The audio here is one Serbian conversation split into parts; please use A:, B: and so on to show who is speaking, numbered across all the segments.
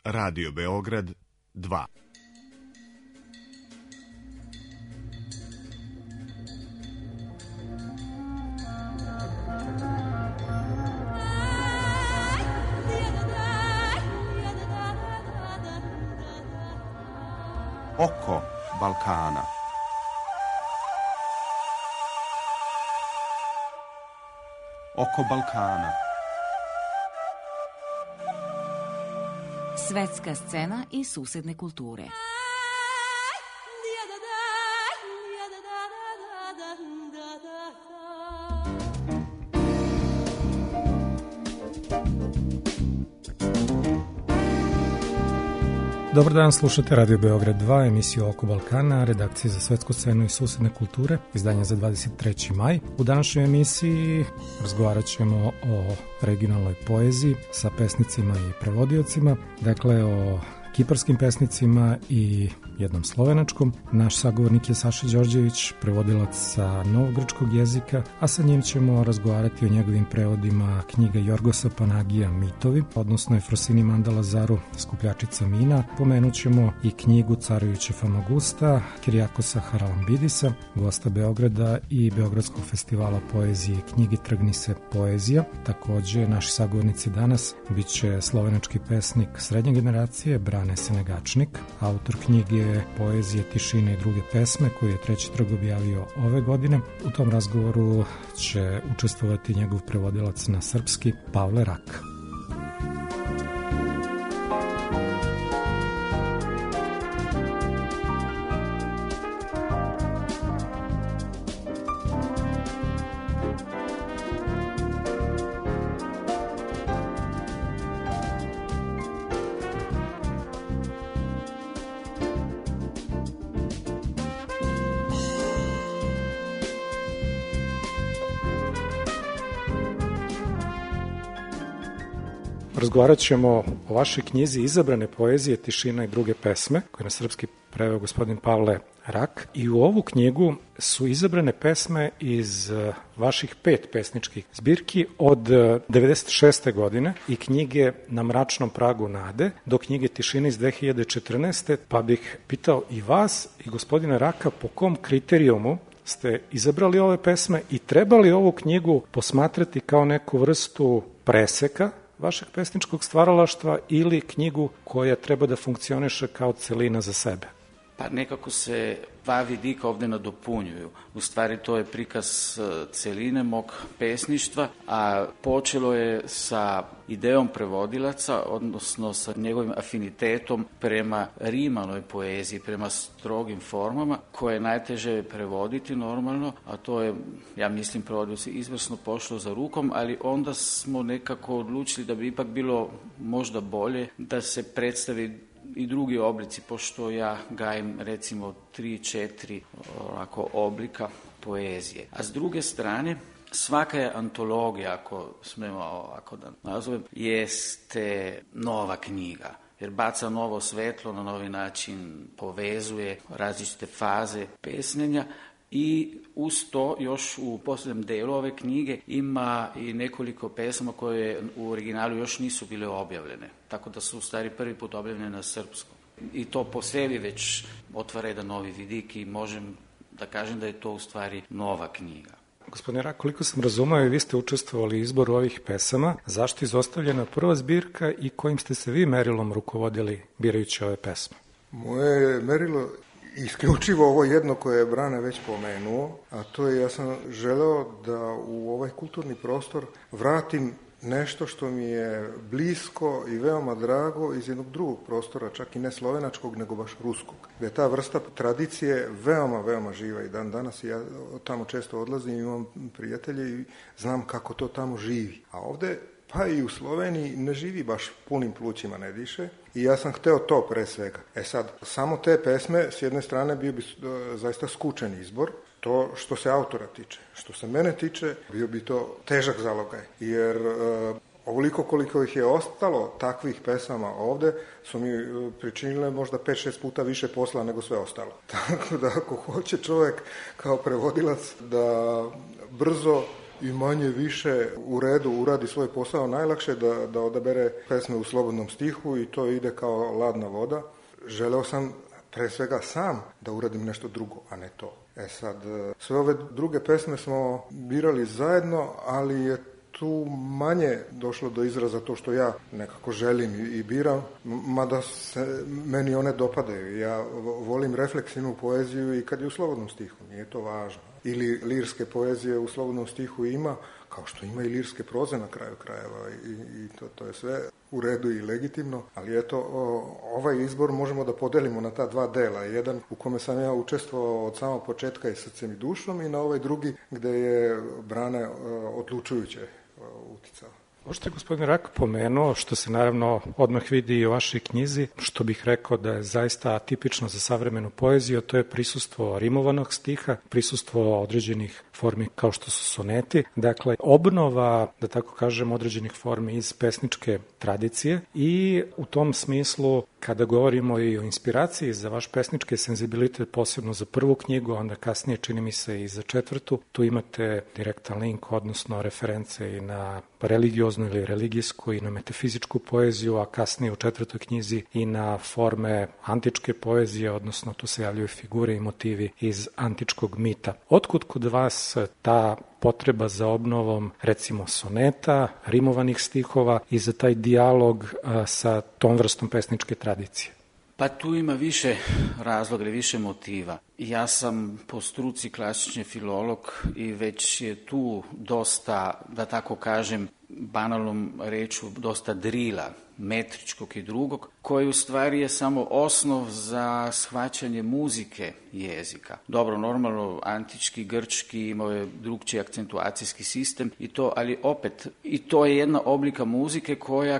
A: Radio Beograd 2.
B: Oko Balkana. Oko Balkana.
C: Svetska scena i susedne kulture.
D: Dobar dan, slušate Radio Beograd 2, emisiju Oko Balkana, redakcije za svetsku scenu i susedne kulture, izdanje za 23. maj. U današnjoj emisiji razgovarat ćemo o regionalnoj poeziji sa pesnicima i prevodiocima, dakle o kiparskim pesnicima i jednom slovenačkom. Naš sagovornik je Saša Đorđević, prevodilac sa novogrčkog jezika, a sa njim ćemo razgovarati o njegovim prevodima knjiga Jorgosa Panagija Mitovi, odnosno Efrosini Mandalazaru Skupljačica mina. Pomenut ćemo i knjigu Carujuće Famagusta, Kirijakosa Haralambidisa, gosta Beograda i Beogradskog festivala poezije i knjigi Trgni se poezija. Takođe, naši sagovornici danas bit će slovenački pesnik srednje generacije Brane Senegačnik, autor knjige Poezije, tišine i druge pesme koju je Treći trg objavio ove godine. U tom razgovoru će učestvovati njegov prevodilac na srpski Pavle Rak. Razgovarat ćemo o vašoj knjizi Izabrane poezije, tišina i druge pesme, koje na srpski preveo gospodin Pavle Rak. I u ovu knjigu su izabrane pesme iz vaših 5 pesničkih zbirki od 96. godine i knjige Na mračnom pragu nade do knjige Tišine iz 2014. Pa bih pitao i vas i gospodina Raka po kom kriterijumu ste izabrali ove pesme i trebali ovu knjigu posmatrati kao neku vrstu preseka vašeg pesničkog stvaralaštva ili knjigu koja treba da funkcioniše kao celina za sebe?
E: Pa nekako se dva vidika ovde nadopunjuju. U stvari to je prikaz celine mog pesništva, a počelo je sa idejom prevodilaca, odnosno sa njegovim afinitetom prema rimanoj poeziji, prema strogim formama, koje je najteže prevoditi normalno, a to je, ja mislim, prevodioci izvrsno pošlo za rukom, ali onda smo nekako odlučili da bi ipak bilo možda bolje da se predstavi i drugi oblici, pošto ja gajim recimo 3-4 oblika poezije. A s druge strane, svaka je antologija, ako smemo ovako da nazovem, jeste nova knjiga, jer baca novo svetlo, na novi način povezuje različite faze pesnjenja. I uz to još u posljednjem delu ove knjige ima i nekoliko pesama koje u originalu još nisu bile objavljene. Tako da su u stvari prvi put objavljene na srpskom. I to po sebi već otvara jedan novi vidik i možem da kažem da je to u stvari nova knjiga.
D: Gospodine Rak, koliko sam razumeo i vi ste učestvovali u izboru ovih pesama, zašto je izostavljena prva zbirka i kojim ste se vi merilom rukovodili birajući ove pesme?
F: Moje merilo isključivo ovo jedno koje je Brane već pomenuo, a to je, ja sam želeo da u ovaj kulturni prostor vratim nešto što mi je blisko i veoma drago iz jednog drugog prostora, čak i ne slovenačkog, nego baš ruskog. Da je ta vrsta tradicije veoma, veoma živa i dan danas. Ja tamo često odlazim, imam prijatelje i znam kako to tamo živi. A ovde, pa i u Sloveniji, ne živi baš punim plućima, ne diše. I ja sam hteo to pre svega. Sad, samo te pesme, s jedne strane, bio bi zaista skučen izbor. To što se autora tiče. Što se mene tiče, bio bi to težak zalogaj. Jer ovoliko koliko ih je ostalo takvih pesama ovde, su mi pričinile možda 5-6 puta više posla nego sve ostalo. Tako da ako hoće čovjek kao prevodilac da brzo i manje više u redu uradi svoj posao, najlakše da odabere pesme u slobodnom stihu i to ide kao ladna voda. Želeo sam pre svega sam da uradim nešto drugo, a ne to. Sad, sve ove druge pesme smo birali zajedno, ali je tu manje došlo do izraza to što ja nekako želim i biram, mada se meni one dopadaju. Ja volim refleksivnu poeziju i kad je u slobodnom stihu, nije to važno. Ili lirske poezije u slobodnom stihu ima, kao što ima i lirske proze na kraju krajeva i to je sve u redu i legitimno, ali eto, ovaj izbor možemo da podelimo na ta dva dela. Jedan u kome sam ja učestvovao od samog početka i srcem i dušom i na ovaj drugi gde je Brane odlučujuće uticao.
D: Ovo što je gospodin Rak pomenuo, što se naravno odmah vidi i u vašoj knjizi, što bih rekao da je zaista atipično za savremenu poeziju, to je prisustvo rimovanog stiha, prisustvo određenih formi kao što su soneti, dakle obnova, da tako kažem, određenih formi iz pesničke tradicije i u tom smislu kada govorimo i o inspiraciji za vaš pesnički senzibilitet, posebno za prvu knjigu, onda kasnije čini mi se i za četvrtu, tu imate direktan link, odnosno reference i na religioznu ili religijsku i na metafizičku poeziju, a kasnije u četvrtoj knjizi i na forme antičke poezije, odnosno tu se javljaju figure i motivi iz antičkog mita. Otkud kod vas ta potreba za obnovom, recimo, soneta, rimovanih stihova i za taj dijalog sa tom vrstom pesničke tradicije?
E: Pa tu ima više razloga ili više motiva. Ja sam po struci klasični filolog i već je tu dosta, da tako kažem, banalnom reču, dosta drila, metričkog i drugog, koji u stvari je samo osnov za shvaćanje muzike jezika. Dobro, normalno, antički, grčki imao je drugčiji akcentuacijski sistem i to, ali opet, i to je jedna oblika muzike koja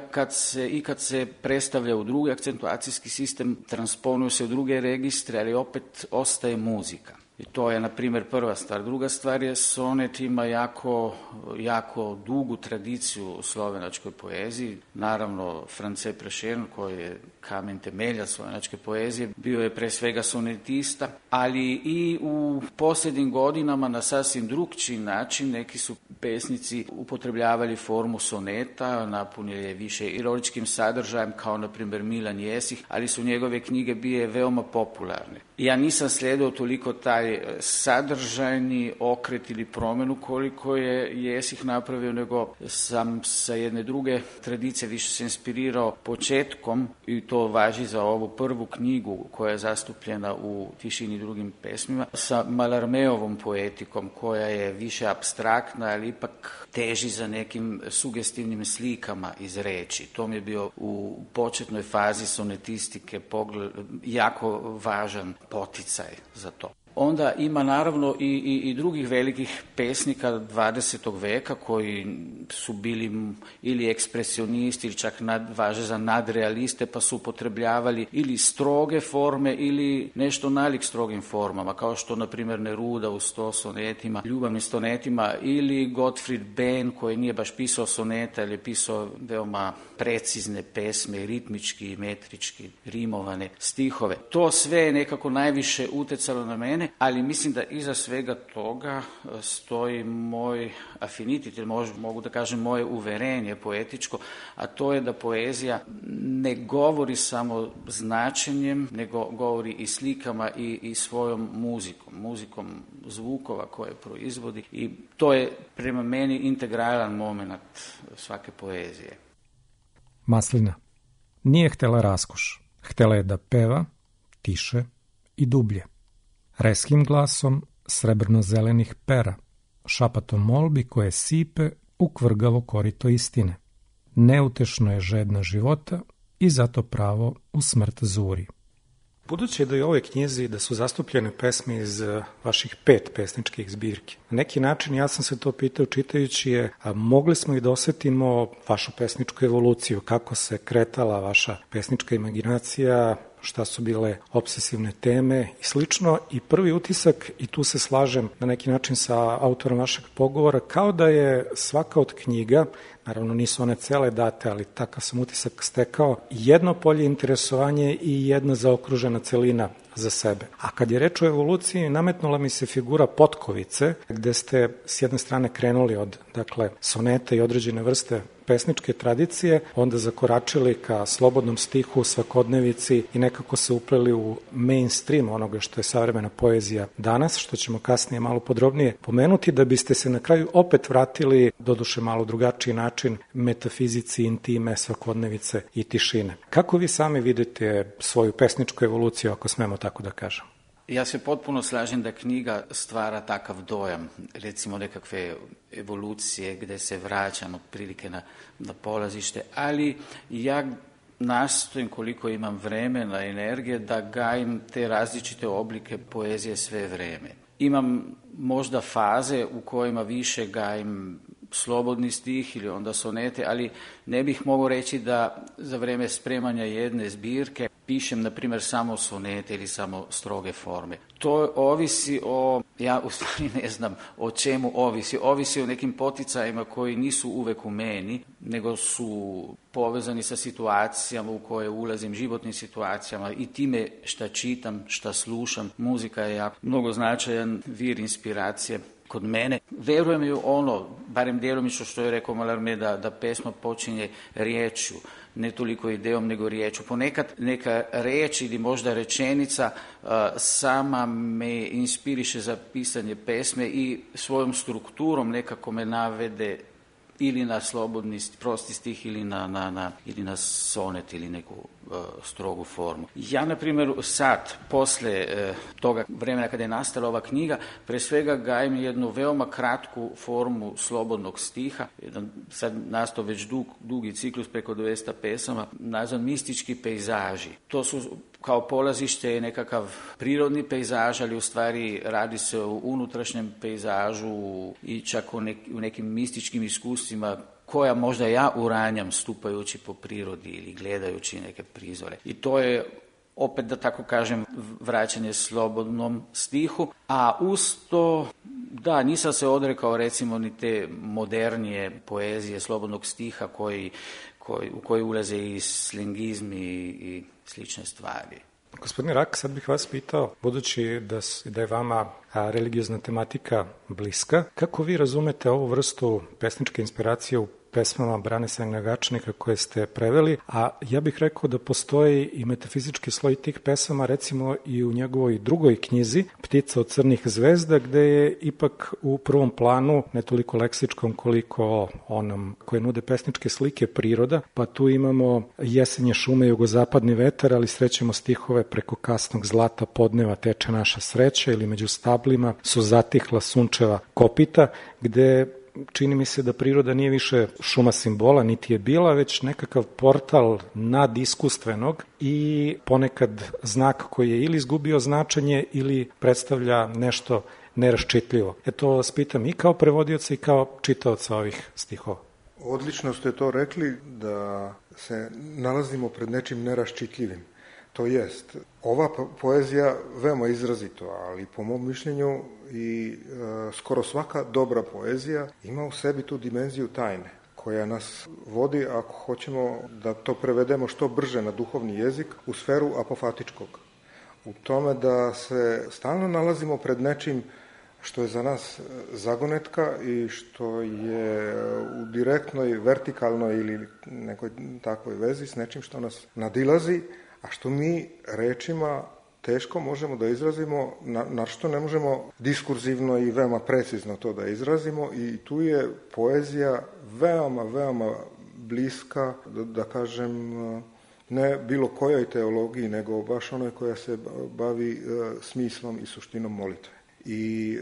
E: kad se predstavlja u drugi akcentuacijski sistem, transponuje se u druge registre, ali opet ostaje muzika. I to je, na primjer, prva stvar. Druga stvar je, sonet ima jako dugu tradiciju u slovenačkoj poeziji. Naravno, France Prešern, koji je kamen temelja slovenačke poezije, bio je pre svega sonetista, ali i u posljednjim godinama na sasvim drugčiji način neki su pesnici upotrebljavali formu soneta, napunili je više ironičkim sadržajem, kao na primjer Milan Jesih, ali su njegove knjige bile veoma popularne. Ja nisam slijedio toliko taj sadržajni okret ili promjenu koliko je Jesih napravio, nego sam sa jedne druge tradicije više se inspirirao početkom, i to važi za ovu prvu knjigu koja je zastupljena u Tišini i drugim pesmima, sa Mallarméovom poetikom koja je više apstraktna, ali ipak teži za nekim sugestivnim slikama iz reči. To mi je bio u početnoj fazi sonetistike jako važan poticaj za to. Onda ima naravno i drugih velikih pesnika 20. veka koji su bili ili ekspresionisti ili čak važe za nadrealiste, pa su upotrebljavali ili stroge forme ili nešto nalik strogim formama, kao što na primjer Neruda u 100 sonetima, ljubavnim sonetima, ili Gottfried Benn koji nije baš pisao soneta, ali je pisao veoma precizne pesme, ritmički, metrički, rimovane stihove. To sve je nekako najviše utjecalo na mene, ali mislim da iza svega toga stoji moj afinitet, ili mogu da kažem moje uverenje poetičko, a to je da poezija ne govori samo značenjem, nego govori i slikama i svojom muzikom zvukova koje proizvodi, i to je prema meni integralan moment svake poezije.
D: Maslina nije htela raskoš, htela je da peva tiše i dublje. Reskim glasom srebrno-zelenih pera, šapatom molbi koje sipe u kvrgavo korito istine. Neutešno je žedna života i zato pravo u smrt zuri. Budući da je u ovoj knjizi da su zastupljene pesme iz vaših 5 pesničkih zbirki, na neki način ja sam se to pitao čitajući je, a mogli smo i da osetimo vašu pesničku evoluciju, kako se kretala vaša pesnička imaginacija, šta su bile obsesivne teme i slično. I prvi utisak, i tu se slažem na neki način sa autorom vašeg pogovora, kao da je svaka od knjiga, naravno nisu one cele date, ali takav sam utisak stekao, jedno polje interesovanje i jedna zaokružena celina za sebe. A kad je reč o evoluciji, nametnula mi se figura Potkovice, gde ste s jedne strane krenuli od, dakle, soneta i određene vrste pesničke tradicije, onda zakoračili ka slobodnom stihu, svakodnevici i nekako se upleli u mainstream onoga što je savremena poezija danas, što ćemo kasnije malo podrobnije pomenuti, da biste se na kraju opet vratili, doduše malo drugačiji način, metafizici, intime, svakodnevice i tišine. Kako vi sami vidite svoju pesničku evoluciju, ako smemo tako da kažem?
E: Ja se potpuno slažem da knjiga stvara takav dojam, recimo nekakve evolucije gde se vraćam otprilike na polazište, ali ja nastojim koliko imam vremena, energije, da gajim te različite oblike poezije sve vreme. Imam možda faze u kojima više gajim slobodni stih ili onda sonete, ali ne bih mogao reći da za vreme spremanja jedne zbirke pišem, na primjer, samo sonete ili samo stroge forme. To ovisi ja u stvari ne znam o čemu ovisi o nekim poticajima koji nisu uvek u meni, nego su povezani sa situacijama u koje ulazim, životnim situacijama i time šta čitam, šta slušam. Muzika je jako mnogo značajan vir inspiracije kod mene. Verujem ju barem djelomično što je rekao Mallarmé, da pesma počinje riječju, ne toliko idejom nego riječju. Ponekad neka reč ili možda rečenica sama me inspiriše za pisanje pesme i svojom strukturom nekako me navede ili na slobodni, prosti stih ili na sonet ili neku strogu formu. Ja, na primjer, sad, posle toga vremena kada je nastala ova knjiga, pre svega gajim jednu veoma kratku formu slobodnog stiha, sad nastao već dugi ciklus preko 200 pesama, nazvan mistički pejzaži. To su kao polazište nekakav prirodni pejzaž, ali u stvari radi se o unutrašnjem pejzažu i čak u nekim mističkim iskustvima koja možda ja uranjam stupajući po prirodi ili gledajući neke prizore. I to je opet, da tako kažem, vraćanje slobodnom stihu, a uz to, da, nisam se odrekao recimo ni te modernije poezije slobodnog stiha u koji ulaze i slengizmi i slične stvari.
D: Gospodine Rak, sad bih vas pitao, budući da je vama religiozna tematika bliska, kako vi razumete ovu vrstu pesničke inspiracije u pesmama Brane Sagnjagačnika koje ste preveli, a ja bih rekao da postoji i metafizički sloj tih pesama, recimo i u njegovoj drugoj knjizi, Ptica od crnih zvezda, gde je ipak u prvom planu, ne toliko leksičkom koliko onom koje nude pesničke slike, priroda, pa tu imamo jesenje šume, jugozapadni vetar, ali srećemo stihove preko kasnog zlata podneva teče naša sreća ili među stablima su zatihla sunčeva kopita, gde čini mi se da priroda nije više šuma simbola, niti je bila, već nekakav portal nadiskustvenog i ponekad znak koji je ili izgubio značenje ili predstavlja nešto neraščitljivo. To vas pitam i kao prevodioca i kao čitaoca ovih stihova.
F: Odlično ste to rekli, da se nalazimo pred nečim neraščitljivim. To jest, ova poezija veoma izrazito, ali po mom mišljenju i skoro svaka dobra poezija ima u sebi tu dimenziju tajne, koja nas vodi, ako hoćemo da to prevedemo što brže na duhovni jezik, u sferu apofatičkog. U tome da se stalno nalazimo pred nečim što je za nas zagonetka i što je u direktnoj, vertikalnoj ili nekoj takvoj vezi s nečim što nas nadilazi, a što mi rečima teško možemo da izrazimo, na što ne možemo diskurzivno i veoma precizno to da izrazimo, i tu je poezija veoma, veoma bliska, da kažem, ne bilo kojoj teologiji, nego baš onoj koja se bavi smislom i suštinom molitve. I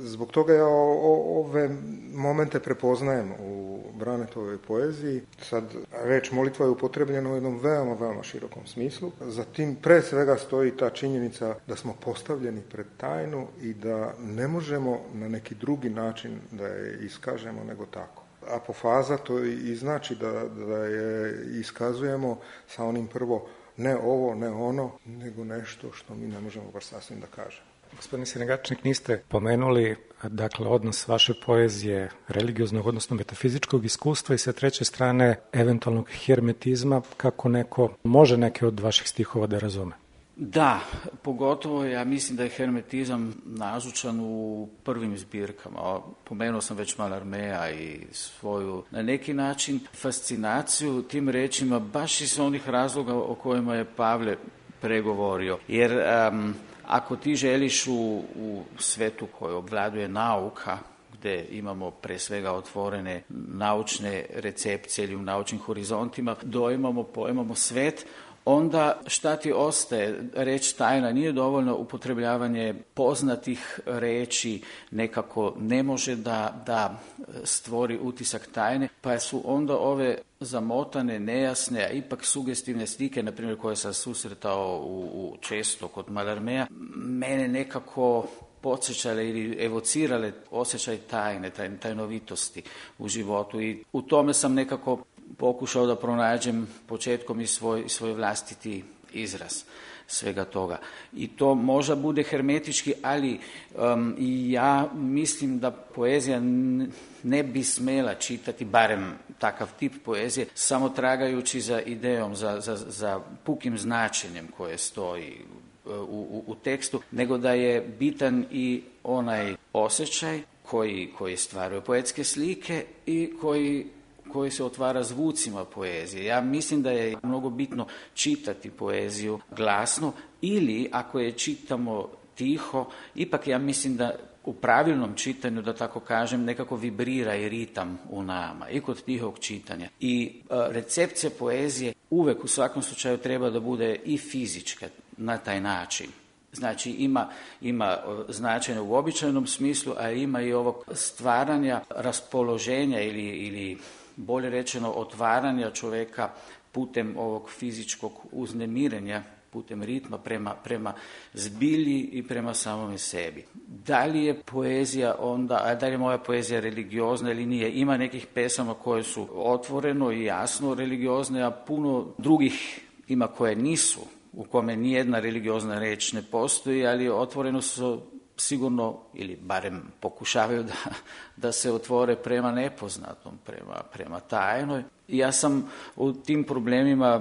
F: zbog toga ja ove momente prepoznajem u Branetovoj poeziji. Sad, reč molitva je upotrebljena u jednom veoma, veoma širokom smislu. Zatim, pre svega, stoji ta činjenica da smo postavljeni pred tajnu i da ne možemo na neki drugi način da je iskažemo nego tako. Apofaza to i znači da je iskazujemo sa onim prvo ne ovo, ne ono, nego nešto što mi ne možemo baš sasvim da kažemo.
D: Gospodine Senegačnik, niste pomenuli dakle odnos vaše poezije religioznog, odnosno metafizičkog iskustva i sa treće strane eventualnog hermetizma, kako neko može neke od vaših stihova da razume.
E: Da, pogotovo ja mislim da je hermetizam nazočan u prvim zbirkama. Pomenuo sam već Mallarméa i svoju, na neki način, fascinaciju tim rečima, baš iz onih razloga o kojima je Pavle pregovorio. Jer ako ti želiš u svetu koji obvladuje nauka, gde imamo pre svega otvorene naučne recepcije ili u naučnim horizontima, pojmamo svet, onda šta ti ostaje? Reč tajna nije dovoljno, upotrebljavanje poznatih reči nekako ne može da stvori utisak tajne, pa su onda ove zamotane, nejasne, a ipak sugestivne slike, na primjer koje sam susretao često kod Mallarméa, mene nekako podsjećale ili evocirale osjećaj tajne, tajnovitosti u životu i u tome sam nekako pokušao da pronađem početkom i svoj vlastiti izraz svega toga. I to možda bude hermetički, ali i ja mislim da poezija ne bi smela čitati, barem takav tip poezije, samo tragajući za idejom, za pukim značenjem koje stoji u tekstu, nego da je bitan i onaj osjećaj koji stvaraju poetske slike i koji se otvara zvucima poezije. Ja mislim da je mnogo bitno čitati poeziju glasno ili ako je čitamo tiho, ipak ja mislim da u pravilnom čitanju, da tako kažem, nekako vibrira i ritam u nama i kod tihog čitanja. I recepcija poezije uvek u svakom slučaju treba da bude i fizička na taj način. Znači ima značenje u običajnom smislu, a ima i ovog stvaranja raspoloženja ili bolje rečeno otvaranja čoveka putem ovog fizičkog uznemirenja, putem ritma prema zbilji i prema samome sebi. Da li je poezija onda, da li je moja poezija religiozna ili nije? Ima nekih pesama koje su otvoreno i jasno religiozne, a puno drugih ima koje nisu, u kome nijedna religiozna reč ne postoji, ali otvoreno su sigurno, ili barem pokušavaju da se otvore prema nepoznatom, prema tajnoj. Ja sam u tim problemima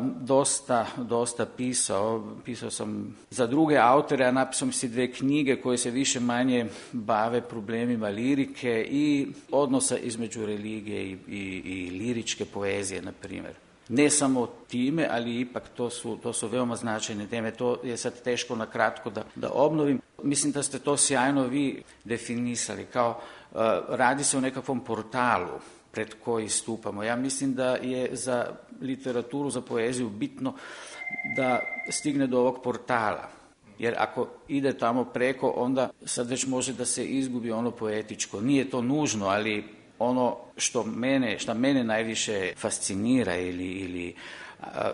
E: dosta pisao. Pisao sam za druge autore, a napisao si 2 knjige koje se više manje bave problemima lirike i odnosa između religije i liričke poezije, na primjer. Ne samo time, ali ipak to su veoma značajne teme. To je sad teško na kratko da obnovim. Mislim da ste to sjajno vi definisali, kao radi se o nekakvom portalu pred koji stupamo. Ja mislim da je za literaturu, za poeziju bitno da stigne do ovog portala. Jer ako ide tamo preko, onda sad već može da se izgubi ono poetičko. Nije to nužno, ali ono što mene najviše fascinira ili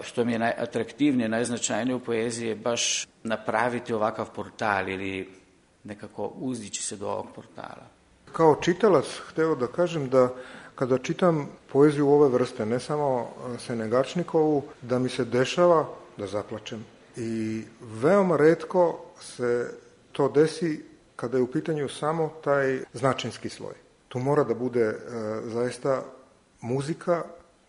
E: što mi je najatraktivnije, najznačajnije u poeziji je baš napraviti ovakav portal ili nekako uzdići se do ovog portala.
F: Kao čitalac hteo da kažem da kada čitam poeziju ove vrste, ne samo Senegačnikovu, da mi se dešava da zaplačem. I veoma retko se to desi kada je u pitanju samo taj značinski sloj. Tu mora da bude zaista muzika,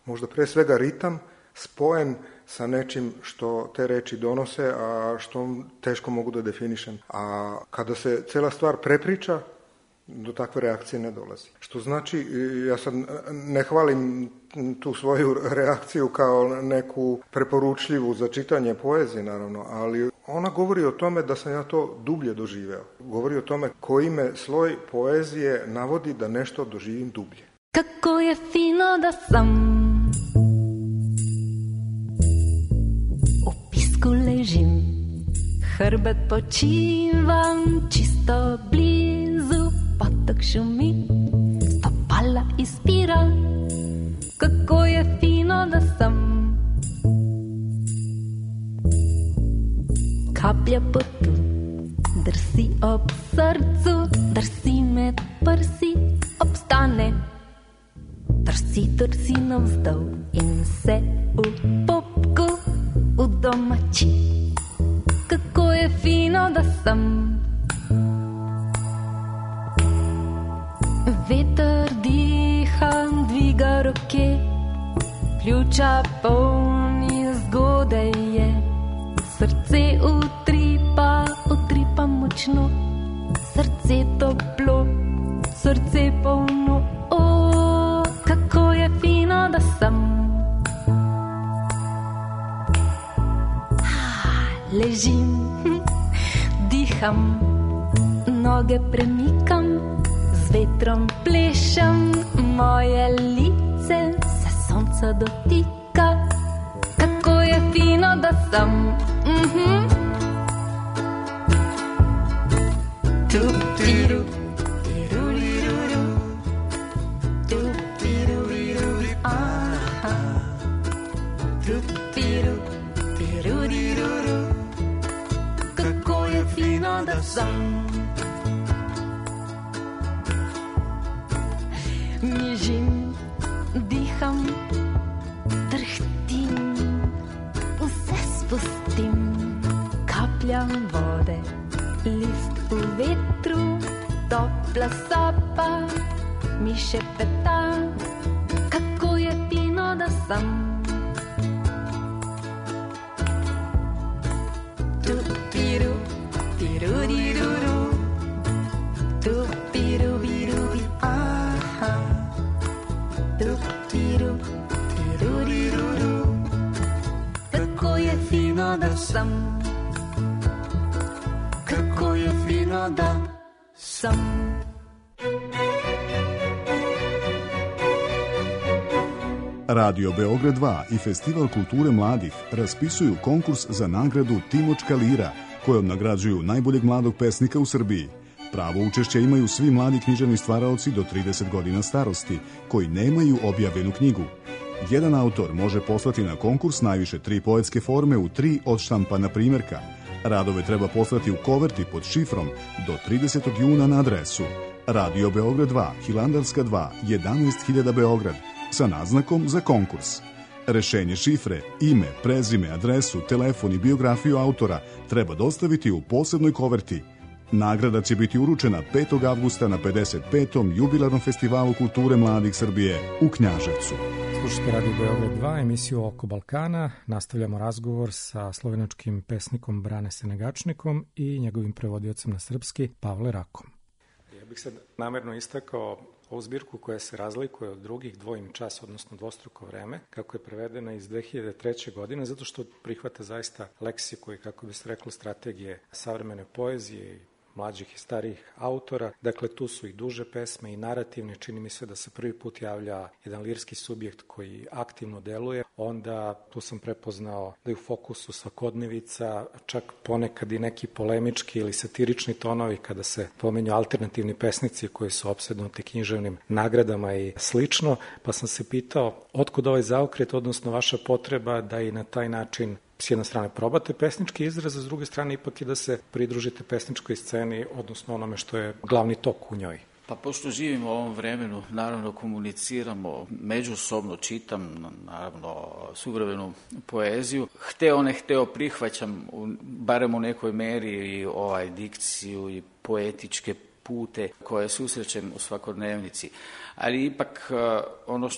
F: možda pre svega ritam, spojen sa nečim što te reči donose, a što teško mogu da definišem. A kada se cela stvar prepriča, do takve reakcije ne dolazi. Što znači, ja sad ne hvalim tu svoju reakciju kao neku preporučljivu za čitanje poezije, naravno, ali ona govori o tome da sam ja to dublje doživeo. Govori o tome koji me sloj poezije navodi da nešto doživim dublje.
G: Kako je fino da sam u pisku ležim, hrbet počivam čisto blizu, potok šumi, stopala ispira. Kako je fino da sam kaplja potu, drsi ob srcu, drsi med prsi, obstane, drsi navzdol in se v popku u domaći. Kako je fino da sam. Veter diha, dviga roke, pljuča polni zgodaj je. Srce utripa močno, srce toplo, srce polno. O, kako je fino da sam. Ležim, diham, noge premikam, z vetrom plešem, moje lice se sonca dotika. Kako je fino da sam. Tupiru, tiruriru, tupiru, aha, tupiru, tiruriru. Kako je fino da sam. Nježim, diham, drhtim, vse spustim, kapljam vode, list v vetru, topla sopa, mi šepeta, kako je fino da sam. Tupiru, tiruriruru, tupiru, birubi, aha, tupiru, tiruriruru, kako je fino da sam. Kako je fino da sam.
A: Radio Beograd 2 i Festival kulture mladih raspisuju konkurs za nagradu Timočka lira, kojom nagrađuju najboljeg mladog pesnika u Srbiji. Pravo učešće imaju svi mladi književni stvaraoci do 30 godina starosti, koji nemaju objavljenu knjigu. Jedan autor može poslati na konkurs najviše 3 poetske forme u 3 odštampana primjerka. Radove treba poslati u koverti pod šifrom do 30. juna na adresu Radio Beograd 2, Hilandarska 2, 11.000 Beograd, sa naznakom za konkurs. Rešenje šifre, ime, prezime, adresu, telefon i biografiju autora treba dostaviti u posebnoj koverti. Nagrada će biti uručena 5. avgusta na 55. jubilarnom festivalu kulture mladih Srbije u Knjaževcu.
D: Slušajte Radio Beograd 2, emisiju Oko Balkana. Nastavljamo razgovor sa slovenačkim pesnikom Brane Senegačnikom i njegovim prevodiocem na srpski Pavle Rakom. Ja bih sad namerno istakao ovu zbirku koja se razlikuje od drugih, dvojim čas, odnosno dvostruko vreme, kako je prevedena iz 2003. godine, zato što prihvata zaista leksiku i, kako bi se reklo, strategije savremene poezije i mlađih i starijih autora. Dakle, tu su i duže pesme i narativne. Čini mi se da se prvi put javlja jedan lirski subjekt koji aktivno deluje. Onda tu sam prepoznao da je u fokusu svakodnevica, čak ponekad i neki polemički ili satirični tonovi kada se pomenju alternativni pesnici koji su opsednuti književnim nagradama i slično. Pa sam se pitao otkud ovaj zaokret, odnosno vaša potreba da i na taj način s jedne strane probate pesnički izraz, a s druge strane ipak i da se pridružite pesničkoj sceni, odnosno onome što je glavni tok u njoj.
E: Pa pošto živimo u ovom vremenu, naravno komuniciramo, međusobno čitam, naravno suvremenu poeziju. Hteo ne hteo prihvaćam, barem u nekoj meri, i dikciju i poetičke pute koje susrećem u svakodnevnici. Ali ipak ono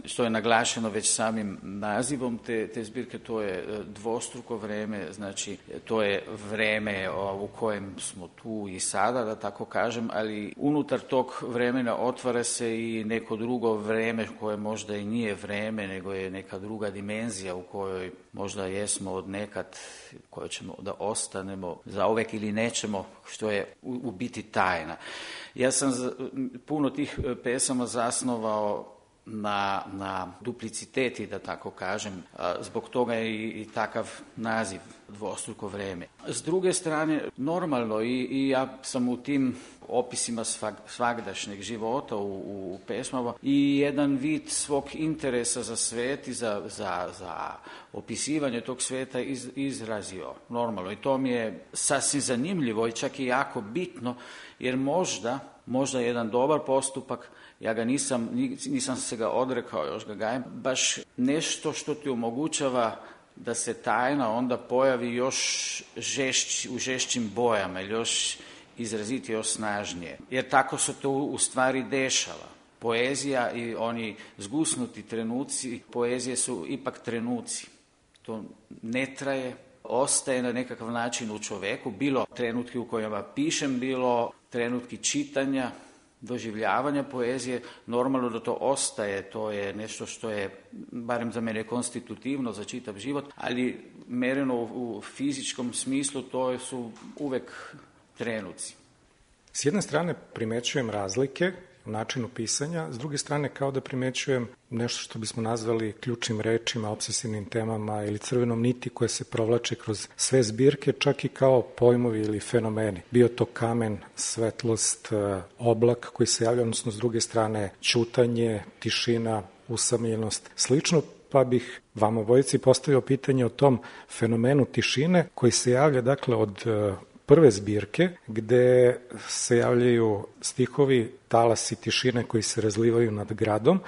E: što je naglašeno već samim nazivom te zbirke, to je dvostruko vreme, znači to je vreme u kojem smo tu i sada, da tako kažem, ali unutar tog vremena otvara se i neko drugo vreme koje možda i nije vreme, nego je neka druga dimenzija u kojoj možda jesmo od nekad, koje ćemo da ostanemo zauvek ili nećemo, što je u biti tajna. Ja sam puno tih pesama zasnovao na dupliciteti, da tako kažem, zbog toga je i takav naziv dvostruko vreme. S druge strane, normalno, i ja sam u tim opisima svagdašnjeg života u pesmama i jedan vid svog interesa za svet i za opisivanje tog sveta izrazio. Normalno, i to mi je sasvim zanimljivo i čak i jako bitno, jer možda jedan dobar postupak, ja ga nisam se ga odrekao, još ga gajem, baš nešto što ti omogućava da se tajna onda pojavi još u žešćim bojama, još izraziti, još snažnije. Jer tako se to u stvari dešava. Poezija i oni zgusnuti trenuci poezije su ipak trenuci. To ne traje, ostaje na nekakav način u čoveku, bilo trenutki u kojima pišem, bilo trenutki čitanja, doživljavanja poezije, normalno da to ostaje, to je nešto što je, barem za mene, konstitutivno za čitav život, ali mereno u fizičkom smislu to su uvek trenuci.
D: S jedne strane primećujem razlike u načinu pisanja, s druge strane kao da primećujem nešto što bismo nazvali ključnim rečima, obsesivnim temama ili crvenom niti koje se provlače kroz sve zbirke, čak i kao pojmovi ili fenomeni. Bio to kamen, svetlost, oblak koji se javlja, odnosno s druge strane ćutanje, tišina, usamljenost, slično, pa bih vam obojici postavio pitanje o tom fenomenu tišine koji se javlja dakle od prve zbirke gde se javljaju stihovi talasi tišine koji se razlivaju nad gradom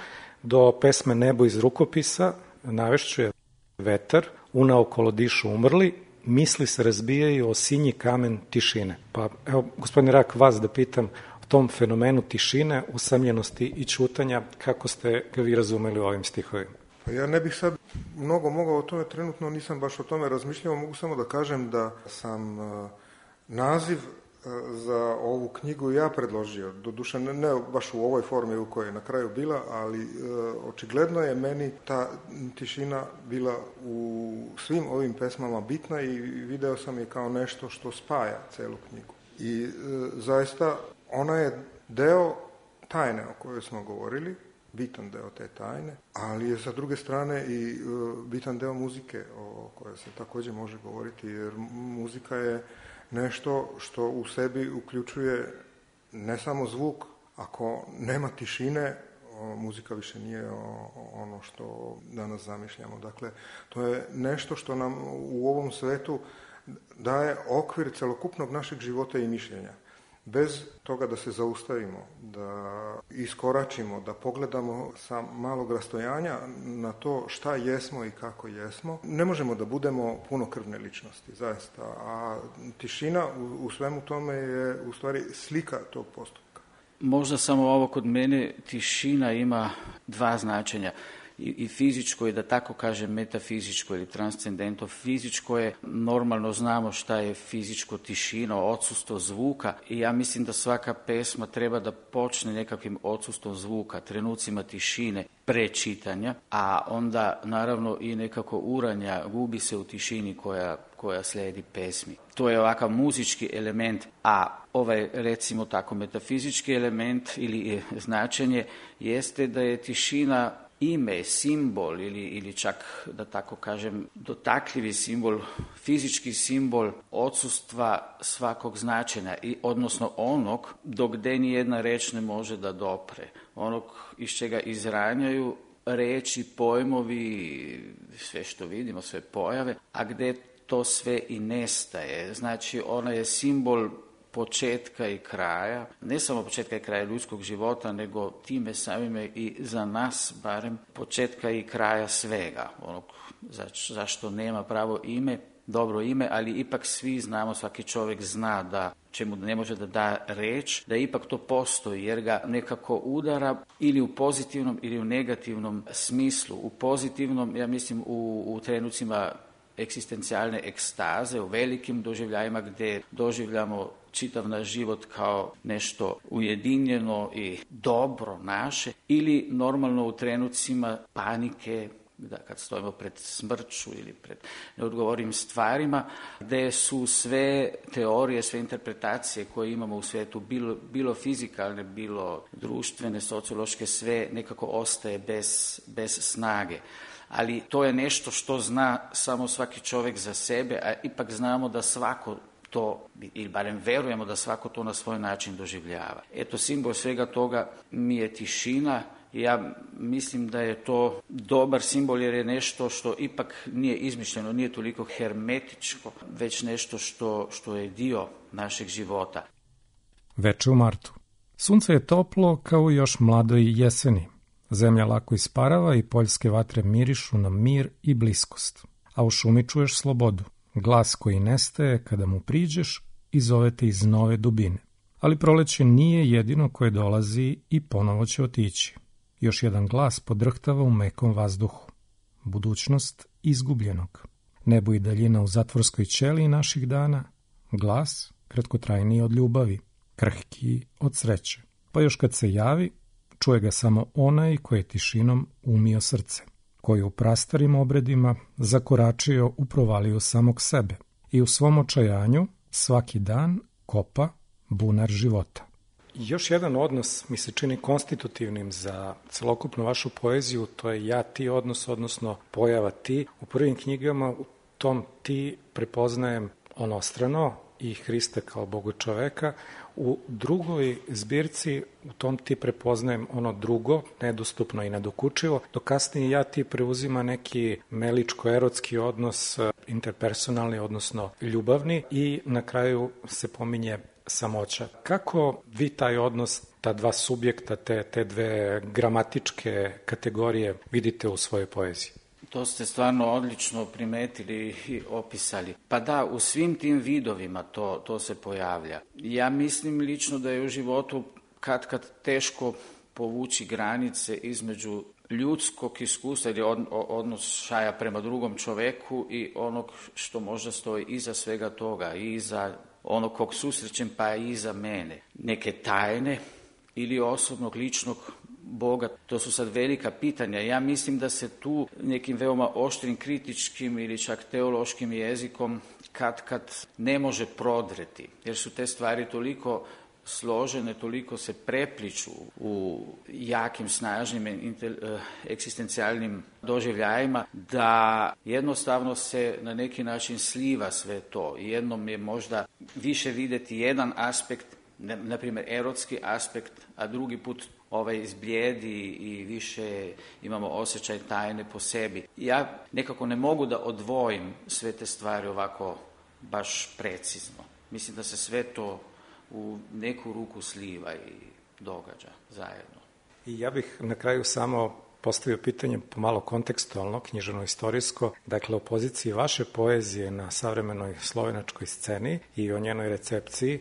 D: do pesme Nebo iz rukopisa, navešću je vetar, unaokolo dišu umrli, misli se razbijaju o sinji kamen tišine. Pa evo, gospodine Rak, vas da pitam o tom fenomenu tišine, usamljenosti i ćutanja, kako ste ga vi razumeli u ovim stihovima?
F: Pa ja ne bih sad mnogo mogao o tome, trenutno nisam baš o tome razmišljao, mogu samo da kažem da sam naziv za ovu knjigu ja predložio, doduše ne baš u ovoj formi u kojoj je na kraju bila, ali očigledno je meni ta tišina bila u svim ovim pesmama bitna i video sam je kao nešto što spaja celu knjigu. I zaista ona je deo tajne o kojoj smo govorili, bitan deo te tajne, ali je sa druge strane i bitan deo muzike o kojoj se također može govoriti, jer muzika je nešto što u sebi uključuje ne samo zvuk. Ako nema tišine, muzika više nije ono što danas zamišljamo. Dakle, to je nešto što nam u ovom svetu daje okvir celokupnog našeg života i mišljenja. Bez toga da se zaustavimo, da iskoračimo, da pogledamo sa malog rastojanja na to šta jesmo i kako jesmo, ne možemo da budemo punokrvne ličnosti, zaista. A tišina u svemu tome je u stvari slika tog postupka.
E: Možda samo ovo kod mene, tišina ima dva značenja. I fizičko je, da tako kažem, metafizičko ili transcendentno. Fizičko je, normalno znamo šta je fizičko, tišina, odsustvo zvuka, i ja mislim da svaka pesma treba da počne nekakvim odsustvom zvuka, trenucima tišine, prečitanja, a onda naravno i nekako uranja, gubi se u tišini koja slijedi pesmi. To je ovakav muzički element, a ovaj, recimo tako, metafizički element ili značenje jeste da je tišina ime, simbol ili čak, da tako kažem, dotakljivi simbol, fizički simbol odsustva svakog značenja, odnosno onog do gde ni jedna reč ne može da dopre, onog iz čega izranjaju reči, pojmovi, sve što vidimo, sve pojave, a gde to sve i nestaje. Znači, ona je simbol početka i kraja, ne samo početka i kraja ljudskog života, nego time samime i za nas barem početka i kraja svega, onog zašto nema pravo ime, dobro ime, ali ipak svi znamo, svaki čovjek zna da čemu ne može da da reč, da ipak to postoji, jer ga nekako udara ili u pozitivnom ili u negativnom smislu. U pozitivnom, ja mislim, u trenucima egzistencijalne ekstaze, u velikim doživljajima gdje doživljamo čitav naš život kao nešto ujedinjeno i dobro naše, ili normalno u trenucima panike, da kad stojimo pred smrću ili pred neodgovornim stvarima, gdje su sve teorije, sve interpretacije koje imamo u svijetu, bilo fizikalne, bilo društvene, sociološke, sve nekako ostaje bez snage. Ali to je nešto što zna samo svaki čovjek za sebe, a ipak znamo da svako to, ili barem verujemo da svako to na svoj način doživljava. Eto, simbol svega toga mi je tišina. Ja mislim da je to dobar simbol, jer je nešto što ipak nije izmišljeno, nije toliko hermetičko, već nešto što je dio našeg života.
D: Veče u martu. Sunce je toplo kao i još mladoj jeseni. Zemlja lako isparava i poljske vatre mirišu na mir i bliskost. a u šumi čuješ slobodu, glas koji nestaje kada mu priđeš i zove te iz nove dubine. Ali proleće nije jedino koje dolazi i ponovo će otići. Još jedan glas podrhtava u mekom vazduhu. Budućnost izgubljenog. Nebo i daljina u zatvorskoj ćeliji naših dana. Glas kratkotrajniji od ljubavi, krhkiji od sreće. Pa još kad se javi, čuje ga samo onaj koji je tišinom umio srce, koji u prastarim obredima zakoračio u provaliju samog sebe i u svom očajanju svaki dan kopa bunar života. Još jedan odnos mi se čini konstitutivnim za celokupnu vašu poeziju, to je ja-ti odnos, odnosno pojava ti. U prvim knjigama u tom ti prepoznajem onostrano i Hrista kao Boga čoveka. U drugoj zbirci u tom ti prepoznajem ono drugo, nedostupno i nedokučivo, dok kasnije ja-ti preuzima neki meličko-erotski odnos, interpersonalni, odnosno ljubavni, i na kraju se pominje samoća. Kako vi taj odnos, ta dva subjekta, te dve gramatičke kategorije vidite u svojoj poeziji?
E: To ste stvarno odlično primetili i opisali. Pa da, u svim tim vidovima to se pojavlja. Ja mislim lično da je u životu kad teško povući granice između ljudskog iskustva ili odnošaja prema drugom čoveku i onog što možda stoji iza svega toga, i iza onog kog susrećem, pa i iza mene. Neke tajne ili osobnog, ličnog Boga, to su sad velika pitanja. Ja mislim da se tu nekim veoma oštrim, kritičkim ili čak teološkim jezikom kad ne može prodreti, jer su te stvari toliko složene, toliko se prepliču u jakim, snažnim egzistencijalnim doživljajima, da jednostavno se na neki način sliva sve to. Jednom je možda više vidjeti jedan aspekt, na primjer erotski aspekt, a drugi put izblijedi i više imamo osjećaj tajne po sebi. Ja nekako ne mogu da odvojim sve te stvari ovako baš precizno. Mislim da se sve to u neku ruku sliva i događa zajedno.
D: I ja bih na kraju samo postavio pitanje pomalo kontekstualno, književno-istorijsko, dakle o poziciji vaše poezije na savremenoj slovenačkoj sceni i o njenoj recepciji.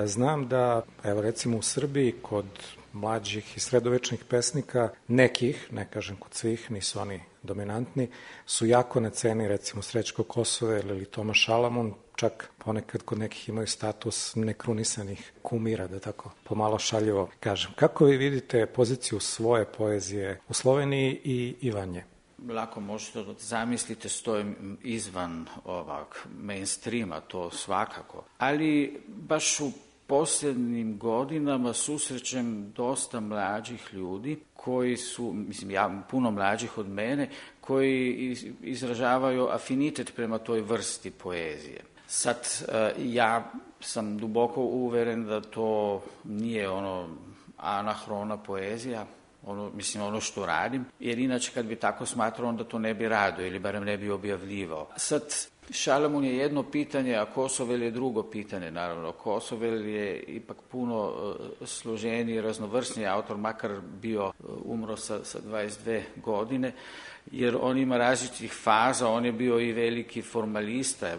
D: Znam da, evo recimo u Srbiji, kod mlađih i sredovečnih pesnika, nekih, ne kažem kod svih, nisu oni dominantni, su jako na ceni recimo Srećko Kosovel ili Toma Šalamun, čak ponekad kod nekih imaju status nekrunisanih kumira, da tako pomalo šaljivo kažem. Kako vi vidite poziciju svoje poezije u Sloveniji i van nje?
E: Lako možete da zamislite, stojim izvan ovog mainstreama, to svakako. Ali baš u posljednjim godinama susrećem dosta mlađih ljudi koji su, puno mlađih od mene, koji izražavaju afinitet prema toj vrsti poezije. Sad, ja sam duboko uveren da to nije anahrona poezija, ono što radim, jer inače kad bi tako smatrao, onda to ne bi radio ili barem ne bi objavljivao. Sad, Šalamun je jedno pitanje, a Kosovel je drugo pitanje, naravno. Kosovel je ipak puno složeniji, raznovrsniji autor, makar bio umro sa 22 godine, jer on ima različitih faza, on je bio i veliki formalista,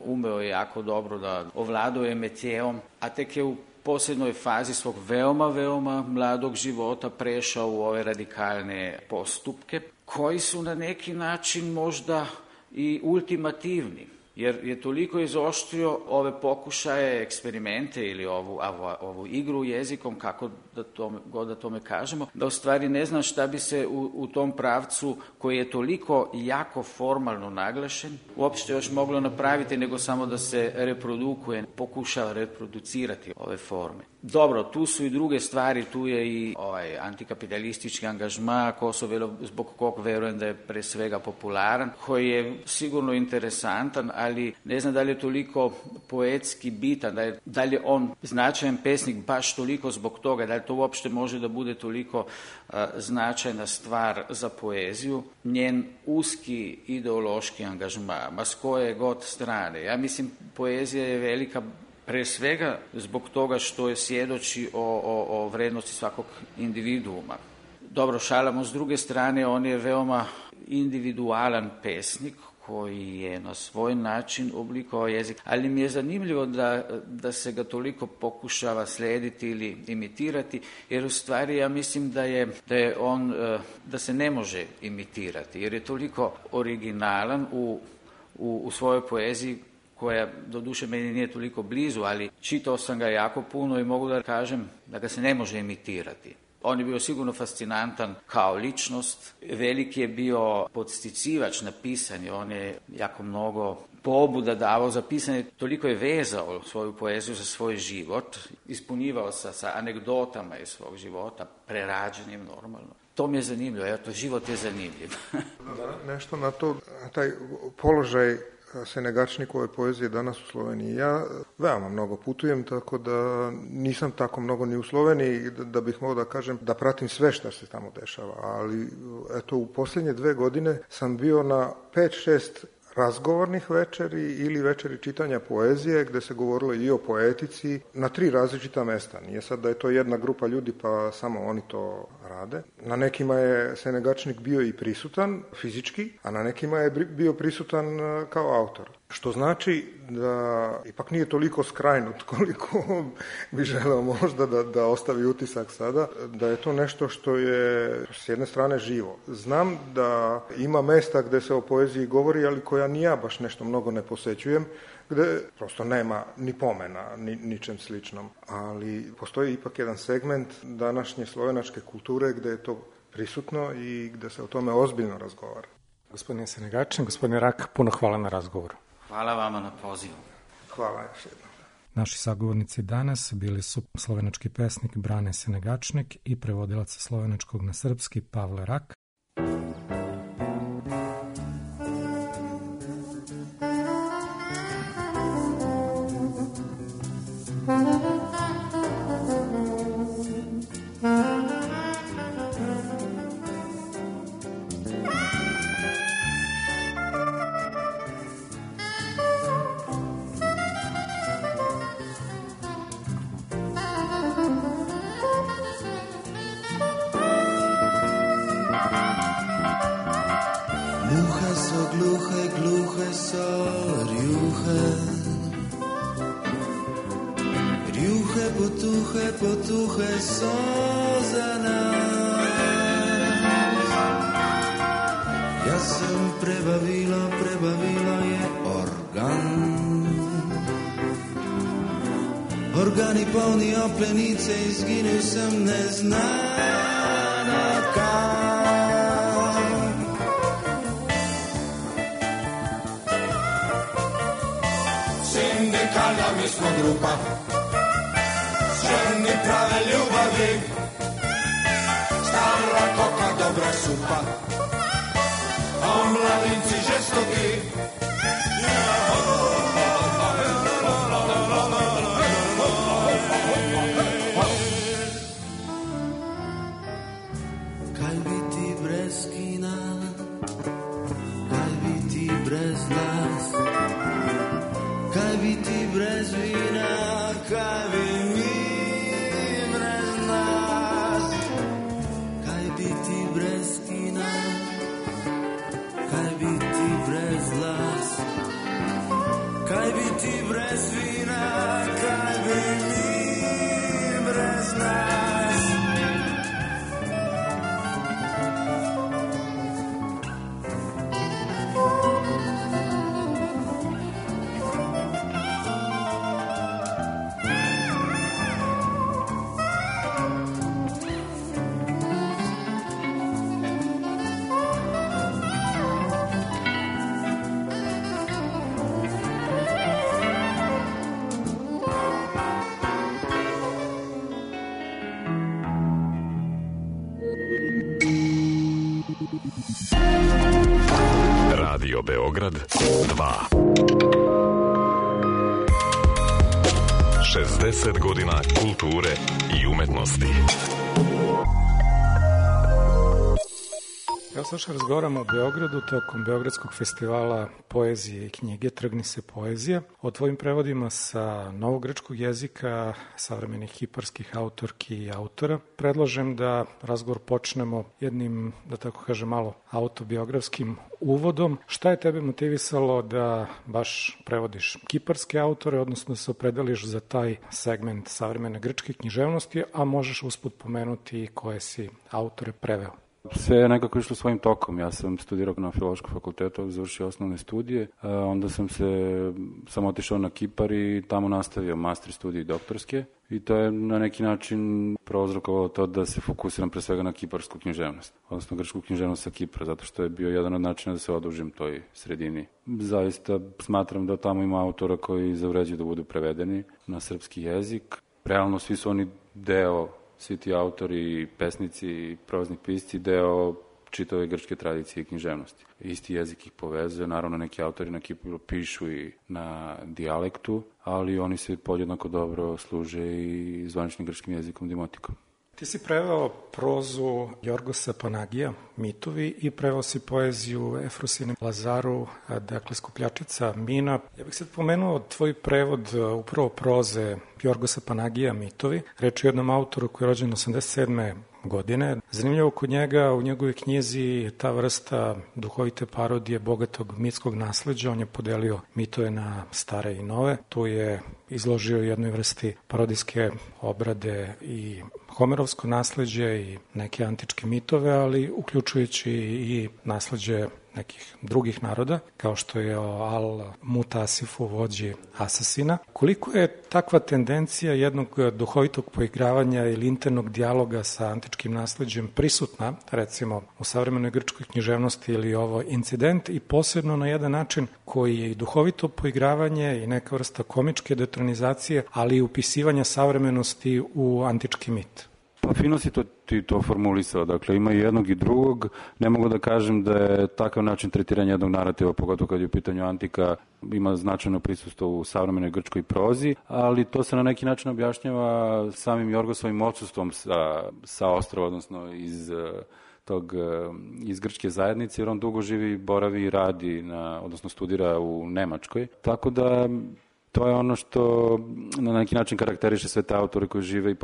E: umeo je jako dobro da ovladao je metijeom, a tek je u posljednoj fazi svog veoma, veoma mladog života prešao u ove radikalne postupke, koji su na neki način možda i ultimativni, jer je toliko izoštrio ove pokušaje, eksperimente ili ovu igru jezikom, kako da tome kažemo, da u stvari ne znam šta bi se u tom pravcu, koji je toliko jako formalno naglašen, uopšte još moglo napraviti nego samo da se reprodukuje, pokušava reproducirati ove forme. Dobro, tu su i druge stvari, tu je i antikapitalistički angažma Kosovelov, zbog kog verujem da je pre svega popularan, koji je sigurno interesantan, ali ne znam da li je toliko poetski bitan, da li je on značajan pesnik baš toliko zbog toga, da li to uopšte može da bude toliko značajna stvar za poeziju. Njen uski ideološki angažma, ma s koje god strane. Ja mislim, poezija je velika pre svega zbog toga što je svjedoči o vrednosti svakog individuuma. Dobro, Šalamun s druge strane, on je veoma individualan pesnik koji je na svoj način oblikovao jezik, ali mi je zanimljivo da se ga toliko pokušava slijediti ili imitirati, jer u stvari ja mislim da se ne može imitirati, jer je toliko originalan u svojoj poeziji, koja doduše meni nije toliko blizu, ali čitao sam ga jako puno i mogu da kažem da ga se ne može imitirati. On je bio sigurno fascinantan kao ličnost, veliki je bio podsticivač na pisanje, on je jako mnogo pobuda davao za pisanje, toliko je vezao svoju poeziju za svoj život, ispunjivao sa anegdotama iz svog života, prerađenim normalno. To mi je zanimljivo, eto, život je zanimljiv.
F: Nešto na to, taj položaj Senegačnikove poezije danas u Sloveniji. Ja veoma mnogo putujem, tako da nisam tako mnogo ni u Sloveniji da bih mogao da kažem da pratim sve što se tamo dešava, ali eto u posljednje 2 godine sam bio na 5-6 razgovornih večeri ili večeri čitanja poezije gde se govorilo i o poetici na 3 različita mesta. Nije sad da je to jedna grupa ljudi pa samo oni to rade. Na nekima je Senegačnik bio i prisutan fizički, a na nekima je bio prisutan kao autor. Što znači da ipak nije toliko skrajnut koliko bi želeo možda da ostavi utisak sada, da je to nešto što je s jedne strane živo. Znam da ima mesta gde se o poeziji govori, ali koja ni ja baš nešto mnogo ne posećujem, gde prosto nema ni pomena, ničem sličnom. Ali postoji ipak jedan segment današnje slovenačke kulture gde je to prisutno i gde se o tome ozbiljno razgovara.
D: Gospodine Senegačin, gospodine Rak, puno hvala na razgovoru.
E: Hvala vama na pozivu.
F: Hvala još jednom.
D: Naši sagovornici danas bili su slovenački pesnik Brane Senegačnik i prevodilac slovenačkog na srpski Pavle Rak.
H: Gluhe so rjuhe, potuhe so za nas. Ja sam prebavila je organi polni oplenice, izginil sem neznana kam. Sindikalna mi smo grupa, ženi prave ljubavi, stara koka, dobra supa, a mladinci žestoki. Kaj bi ti brez kina, kaj bi ti brez nas, kaj bi ti brez vina, kaj bi mi brez nas. Kaj bi ti brez kina, kaj bi ti brez las, kaj bi ti brez vina, kaj bi mi brez nas.
I: Radio Beograd 2. 60 godina kulture i umetnosti.
D: Evo sad razgovaramo o Beogradu tokom Beogradskog festivala poezije i knjige Trgni se poezija, o tvojim prevodima sa novogrčkog jezika, savremenih kiparskih autorki i autora. Predlažem da razgovor počnemo jednim, da tako kažem, malo autobiografskim uvodom. Šta je tebe motivisalo da baš prevodiš kiparske autore, odnosno da se opredeliš za taj segment savremene grčke književnosti, a možeš usput pomenuti koje si autore preveo?
J: Sve je nekako išlo svojim tokom. Ja sam studirao na Filološkom fakultetu, završio osnovne studije, onda sam otišao na Kipar i tamo nastavio master studije i doktorske i to je na neki način prouzrokovalo to da se fokusiram pre svega na kiparsku književnost, odnosno grčku književnost sa Kipra, zato što je bio jedan od načina da se odužim toj sredini. Zaista smatram da tamo ima autora koji zavređuju da budu prevedeni na srpski jezik. Realno svi su oni deo, svi ti autori, pesnici i prozni pisci, deo čitave grčke tradicije i književnosti. Isti jezik ih povezuje, naravno neki autori na Kipru pišu i na dijalektu, ali oni se podjednako dobro služe i zvaničnim grčkim jezikom dimotikom.
D: Ti si preveo prozu Jorgosa Panagija, Mitovi, i preveo si poeziju Efrosine Lazaru, dakle Skupljačica mina. Ja bih sad pomenuo tvoj prevod upravo proze Jorgosa Panagija, Mitovi. Reč je o jednom autoru koji je rođen 87. godine. Zanimljivo kod njega, u njegovoj knjizi je ta vrsta duhovite parodije bogatog mitskog nasleđa. On je podelio mitove na stare i nove. Tu je izložio jednoj vrsti parodijske obrade i homerovsko nasleđe i neke antičke mitove, ali uključujući i nasleđe nekih drugih naroda, kao što je o Al-Mutasifu, vođi asasina. Koliko je takva tendencija jednog duhovitog poigravanja ili internog dijaloga sa antičkim nasleđem prisutna, recimo u savremenoj grčkoj književnosti, ili ovo incident, i posebno na jedan način koji je i duhovito poigravanje i neka vrsta komičke detronizacije, ali i upisivanja savremenosti u antički mit?
J: Pa fino si ti to formulisao, dakle ima i jednog i drugog. Ne mogu da kažem da je takav način tretiranja jednog narativa, pogotovo kad je u pitanju antika, ima značajno prisustvo u savremenoj grčkoj prozi, ali to se na neki način objašnjava samim Jorgosovim odsustvom sa ostrva, odnosno iz grčke zajednice, jer on dugo živi, boravi i radi, odnosno studira u Nemačkoj. Tako da to je ono što na neki način karakteriše sve te autore koji žive i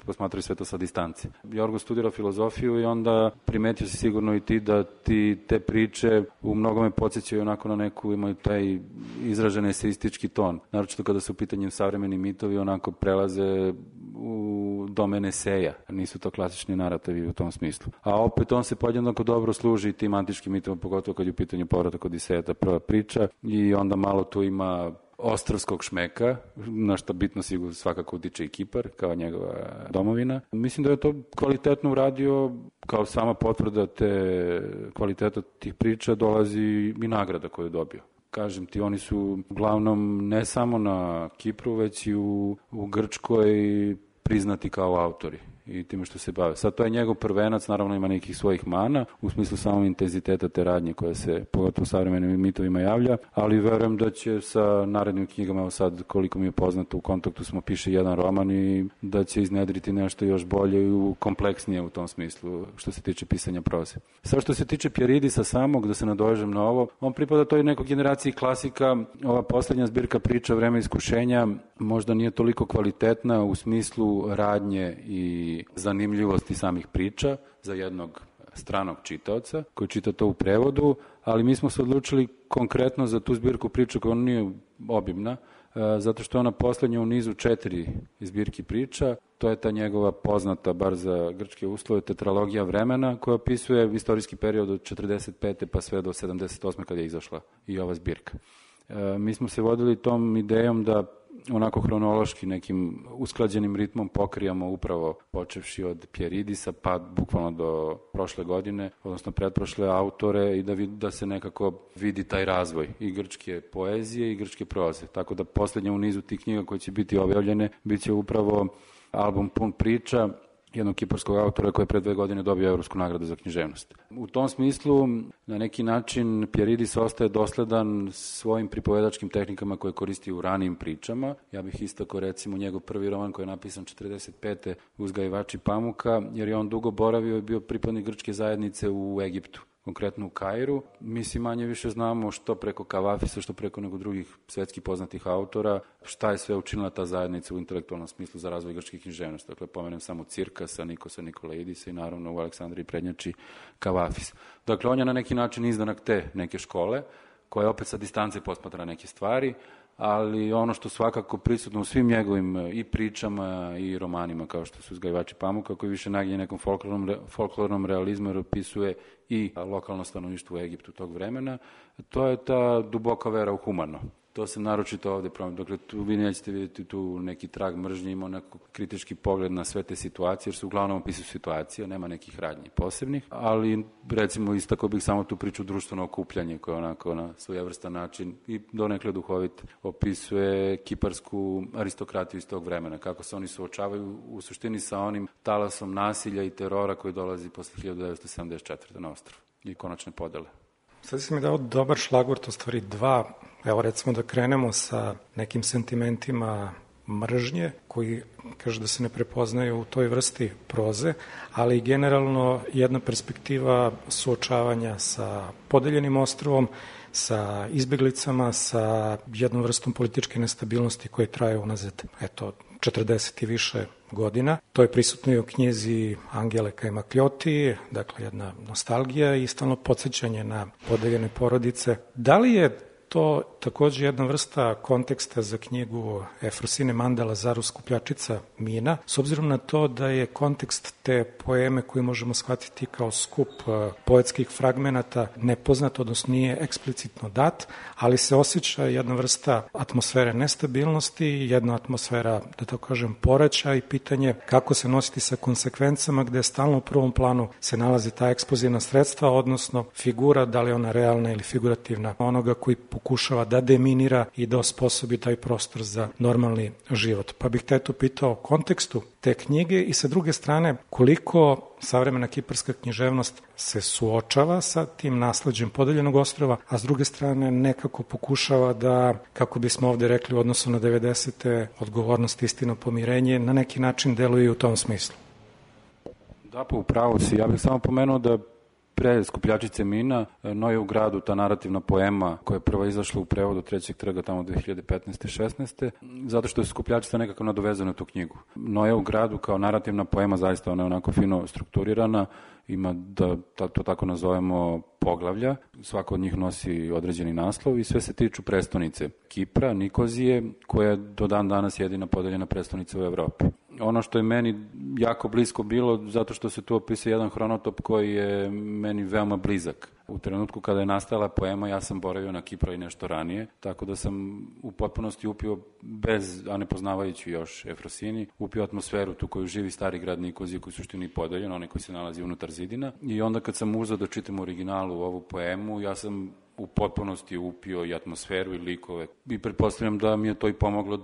J: posmatraju sve to sa distance. Jorgo studirao filozofiju i onda primetio si sigurno i ti da ti te priče u mnogome podsjećaju onako na neku, imaju taj izražen eseistički ton. Naročito kada su u pitanju savremeni mitovi, onako prelaze u domen eseja. Nisu to klasični narativi u tom smislu. A opet on se podjednako dobro služi i tim antičkim mitovima, pogotovo kad je u pitanju povratak Odiseja, ta prva priča, i onda malo tu ima ostrvskog šmeka, na što bitno sigurno svakako utiče i Kipar, kao njegova domovina. Mislim da je to kvalitetno uradio, kao sama potvrda te kvaliteta tih priča dolazi i nagrada koju je dobio. Kažem ti, oni su uglavnom ne samo na Kipru, već i u Grčkoj priznati kao autori i time što se bave. Sad to je njegov prvenac, naravno ima nekih svojih mana, u smislu samog intenziteta te radnje koja se pogotovo u savremenim mitovima javlja, ali verujem da će sa narednim knjigama, evo sad koliko mi je poznato, u kontaktu smo, piše jedan roman i da će iznedriti nešto još bolje i kompleksnije u tom smislu što se tiče pisanja proze. Sad što se tiče Pjeridisa samog, da se nadovežem na ovo, on pripada toj nekoj generaciji klasika. Ova poslednja zbirka priča Vreme iskušenja možda nije toliko kvalitetna u smislu radnje i zanimljivosti samih priča za jednog stranog čitaoca koji čita to u prevodu, ali mi smo se odlučili konkretno za tu zbirku priča koja nije obimna, zato što je ona poslednja u nizu 4 zbirki priča. To je ta njegova poznata, bar za grčke uslove, tetralogija vremena, koja opisuje istorijski period od 45. pa sve do 78. kad je izašla i ova zbirka. Mi smo se vodili tom idejom da onako hronološki nekim usklađenim ritmom pokrijamo upravo počevši od Pjeridisa pa bukvalno do prošle godine, odnosno pretprošle autore, i da se nekako vidi taj razvoj i grčke poezije i grčke proze. Tako da poslednja u nizu tih knjiga koje će biti objavljene biće upravo album pun priča jednog kiparskog autora koji je pre 2 godine dobio Evropsku nagradu za književnost. U tom smislu, na neki način, Pjeridis ostaje dosledan svojim pripovedačkim tehnikama koje koristi u ranijim pričama. Ja bih istakao recimo njegov prvi roman koji je napisan 45. Uzgajivači pamuka, jer je on dugo boravio i bio pripadnik grčke zajednice u Egiptu. konkretno u Kairu. Mi si manje više znamo što preko Kavafisa, što preko nego drugih svetskih poznatih autora, šta je sve učinila ta zajednica u intelektualnom smislu za razvoj grčke književnosti. Dakle, pomenem samo Cirkasa, Nikosa Nikolaidisa i naravno u Aleksandriji prednjači Kavafis. Dakle, on je na neki način izdanak te neke škole, koja opet sa distance posmatra neke stvari, ali ono što svakako prisutno u svim njegovim i pričama i romanima, kao što su Uzgajivači pamuka, koji više naginje nekom folklornom realizmu, jer opisuje i lokalno stanovništvo u Egiptu tog vremena, to je ta duboka vera u humano. To se naročito ovde promijenio. Dakle, tu vi nećete vidjeti tu neki trag mržnje, ima neko kritički pogled na sve te situacije, jer se uglavnom opisuju situacije, nema nekih radnji posebnih, ali recimo istakao bih samo tu priču društveno okupljanje, koje onako na svojevrstan način i donekle duhovit opisuje kiparsku aristokratiju iz tog vremena, kako se oni suočavaju u suštini sa onim talasom nasilja i terora koji dolazi posle 1974. na ostrvo i konačne podele.
D: Sad si mi dao dobar šlagvort, u stvari dva. Evo recimo da krenemo sa nekim sentimentima mržnje koji kaže da se ne prepoznaju u toj vrsti proze, ali generalno jedna perspektiva suočavanja sa podeljenim ostrvom, sa izbeglicama, sa jednom vrstom političke nestabilnosti koje traje unazad 40 i više godina. To je prisutno i u knjizi Angele Kajmakljoti, dakle jedna nostalgija i stalno podsjećanje na podeljene porodice. Da li je to takođe jedna vrsta konteksta za knjigu Efrosine Manda Zaru Skupljačica mina, s obzirom na to da je kontekst te poeme koju možemo shvatiti kao skup poetskih fragmenata nepoznat, odnosno nije eksplicitno dat, ali se osjeća jedna vrsta atmosfere nestabilnosti, jedna atmosfera, da tako kažem, poreća i pitanje kako se nositi sa konsekvencama gde stalno u prvom planu se nalazi ta eksplozivna sredstva, odnosno figura, da li ona realna ili figurativna, onoga koji pokušava da deminira i da osposobi taj prostor za normalni život. Pa bih te tu pitao o kontekstu te knjige i sa druge strane koliko savremena kiparska književnost se suočava sa tim nasleđem podeljenog ostrva, a s druge strane nekako pokušava da, kako bismo ovde rekli u odnosu na 90. odgovornost, istina, pomirenje, na neki način deluje u tom smislu.
J: Da, pa upravo si. Ja bih samo pomenuo da pre Skupljačice mina, Noje u gradu, ta narativna poema koja je prva izašla u prevodu Trećeg trga tamo 2015. 16. zato što je Skupljačica nekako nadovezana na tu knjigu. Noje u gradu kao narativna poema, zaista ona je onako fino strukturirana, ima, da to tako nazovemo, poglavlja. Svako od njih nosi određeni naslov i sve se tiču prestonice Kipra, Nikozije, koja je do dan danas jedina podeljena prestonica u Evropi. Ono što je meni jako blisko bilo, zato što se tu opisuje jedan hronotop koji je meni veoma blizak. U trenutku kada je nastala poema, ja sam boravio na Kipru i nešto ranije, tako da sam u potpunosti upio, a ne poznavajući još Efrosini, upio atmosferu tu koju živi stari grad Nikozije, koji je u suštini podeljen, onaj koji se nalazi unutar zidina. I onda kad sam uzeo da čitam originalu ovu poemu, ja sam u potpunosti upio i atmosferu i likove i pretpostavljam da mi je to i pomoglo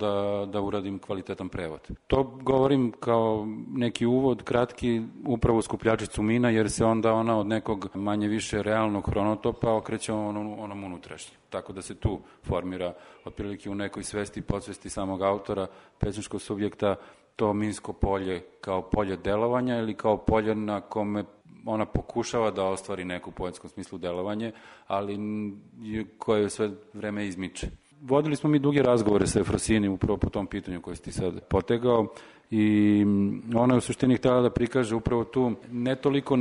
J: da uradim kvalitetan prevod. To govorim kao neki uvod kratki upravo u Skupljačicu mina, jer se onda ona od nekog manje više realnog hronotopa okreće onom unutrašnjem. Tako da se tu formira otprilike u nekoj svesti i podsvesti samog autora, pesničkog subjekta, to minsko polje kao polje delovanja ili kao polje na kome ona pokušava da ostvari neku u poetskom smislu delovanje, ali koje sve vreme izmiče. Vodili smo mi duge razgovore sa Efrosini upravo po tom pitanju koje si ti sad potegao i ona je u suštini htjela da prikaže upravo tu ne toliko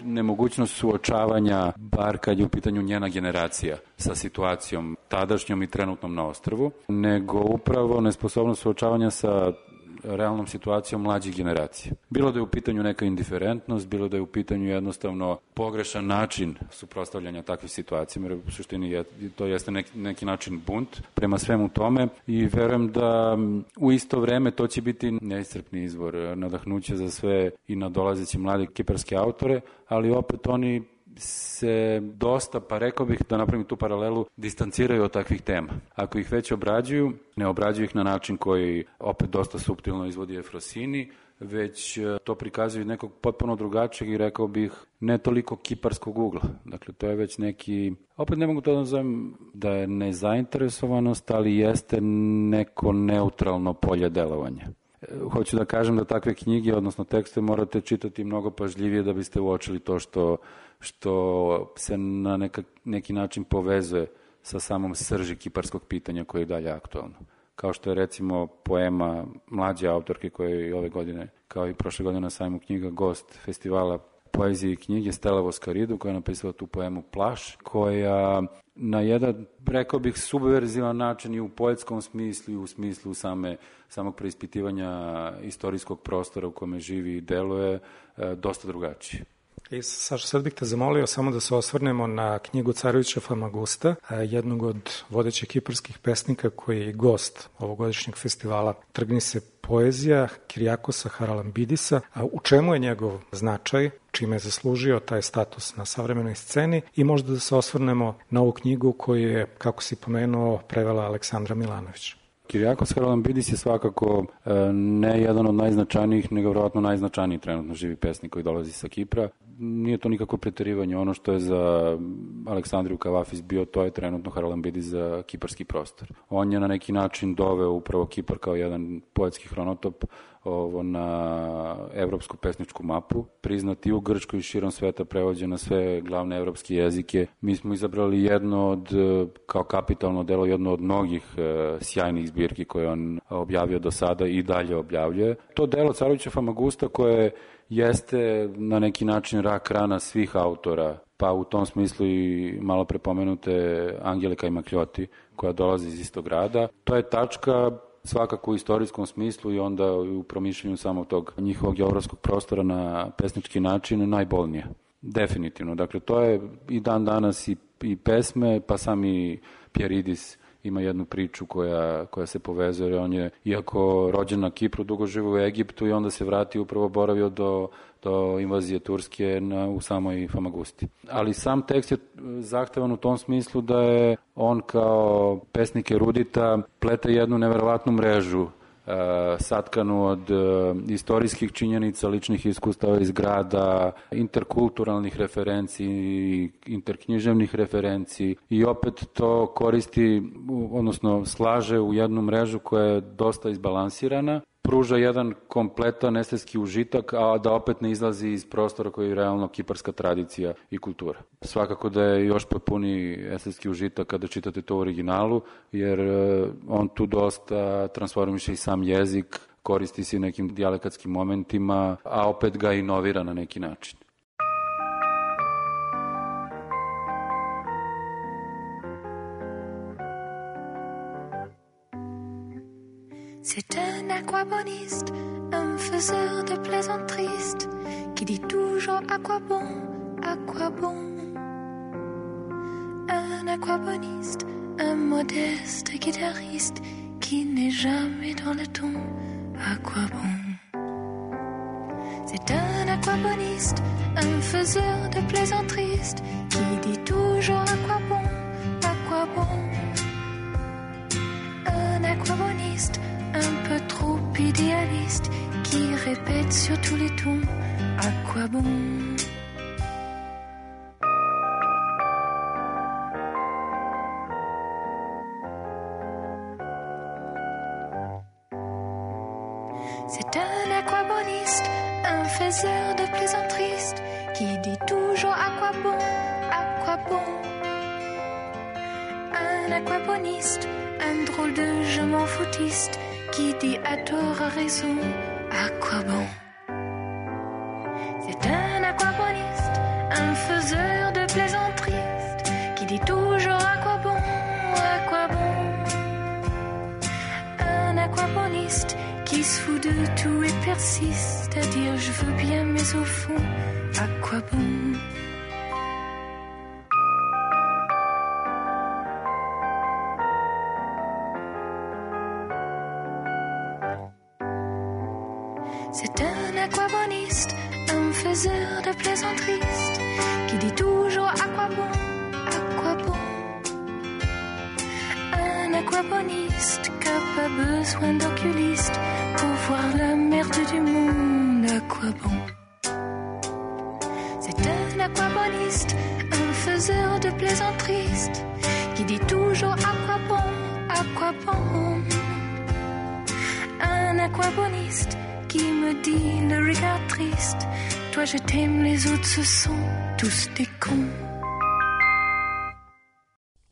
J: nemogućnost suočavanja, bar kad je u pitanju njena generacija sa situacijom tadašnjom i trenutnom na ostrvu, nego upravo nesposobnost suočavanja sa realnom situacijom mlađih generacija. Bilo da je u pitanju neka indiferentnost, bilo da je u pitanju jednostavno pogrešan način suprotstavljanja takvih situacija, jer u suštini to jeste neki način bunt prema svemu tome i verujem da u isto vreme to će biti neiscrpni izvor nadahnuća za sve i nadolazeće mlade kiparske autore, ali opet oni se dosta, pa rekao bih da napravim tu paralelu, distanciraju od takvih tema. Ako ih već obrađuju, ne obrađuju ih na način koji opet dosta suptilno izvodi Efrosini, već to prikazuju nekog potpuno drugačijeg i rekao bih ne toliko kiparskog ugla. Dakle, to je već neki, opet ne mogu to da nazovem da je nezainteresovanost, ali jeste neko neutralno polje delovanja. Hoću da kažem da takve knjige, odnosno tekste, morate čitati mnogo pažljivije da biste uočili to što se na neki način povezuje sa samom srži kiparskog pitanja koje je dalje aktualno. Kao što je recimo poema mlađe autorke koja je ove godine, kao i prošle godine na sajmu knjiga, gost festivala poezije i knjige Stella Voskaridu, koja je napisala tu poemu Plaš, koja na jedan, rekao bih, subverzivan način i u poetskom smislu i u smislu samog preispitivanja istorijskog prostora u kome živi i deluje dosta drugačije.
D: I Saša, sad bih te zamolio samo da se osvrnemo na knjigu Carevića Famagusta, jednog od vodećih kiparskih pesnika koji je gost ovogodišnjeg festivala Trgni se poezija Kirijakosa Haralambidisa. U čemu je njegov značaj, čime je zaslužio taj status na savremenoj sceni i možda da se osvrnemo na ovu knjigu koju je, kako si pomenuo, prevela Aleksandra Milanović.
J: Kirijakos Haralambidis je svakako ne jedan od najznačajnijih, nego vjerojatno najznačajniji trenutno živi pesnik koji dolazi sa Kipra. Nije to nikako preterivanje. Ono što je za Aleksandriju Kavafis bio, to je trenutno Haralambidis za kiparski prostor. On je na neki način doveo upravo Kipar kao jedan poetski hronotop na evropsku pesničku mapu, priznati u Grčkoj i širom sveta, prevođen na sve glavne evropske jezike. Mi smo izabrali jedno od, kao kapitalno delo, jedno od mnogih sjajnih zbirki koje on objavio do sada i dalje objavljuje. To delo Carevića Famagusta, koje jeste na neki način rak rana svih autora, pa u tom smislu i malo prepomenute Angele Kajmakljoti, koja dolazi iz istog grada. To je tačka svakako u istorijskom smislu i onda u promišljanju samog tog njihovog geografskog prostora na pesnički način najbolnije. Definitivno. Dakle, to je i dan danas i pesme, pa sami Pjeridis ima jednu priču koja se povezuje, jer on je, iako rođen na Kipru, dugo živo u Egiptu i onda se vratio, upravo boravio do invazije Turske u samoj Famagusti. Ali sam tekst je zahtevan u tom smislu da je on kao pesnik erudita plete jednu neverovatnu mrežu satkanu od istorijskih činjenica, ličnih iskustava iz grada, interkulturalnih referenci, interknjiževnih referenci i opet to koristi, odnosno slaže u jednu mrežu koja je dosta izbalansirana, pruža jedan kompletan estetski užitak, a da opet ne izlazi iz prostora koji je realno kiparska tradicija i kultura. Svakako da je još potpuni estetski užitak kada čitate to u originalu, jer on tu dosta transformiše i sam jezik, koristi se nekim dijalektskim momentima, a opet ga inovira na neki način.
K: C'est un aquaboniste, un faiseur de plaisanteries, qui dit toujours à quoi bon, à quoi bon. Un aquaboniste, un modeste guitariste, qui n'est jamais dans le ton, à quoi bon. C'est un aquaboniste, un faiseur de plaisanteries, qui dit toujours à quoi bon, à quoi bon. Un aquaboniste, un peu trop idéaliste, qui répète sur tous les tons, à quoi bon. C'est un aquaboniste, un faiseur de plaisanteries, qui dit toujours à quoi bon, à quoi bon. Un aquaboniste, un drôle de je m'en foutiste, qui dit à tort à raison, à quoi bon. C'est un aquaboniste, un faiseur de plaisanteries, qui dit toujours à quoi bon, à quoi bon. Un aquaboniste qui se fout de tout et persiste à dire je veux bien mais au fond, à quoi bon. C'est un aquaboniste, un faiseur de plaisanteries, qui dit toujours à quoi bon, à quoi bon. Un aquaboniste qui n'a pas besoin d'oculiste pour voir la merde du monde, à quoi bon. C'est un aquaboniste, un faiseur de plaisanteries, qui dit toujours à quoi bon, à quoi bon. Un aquaboniste, triste qui me dit le regard triste. Toi je t'aime, les autres ce sont tous des cons.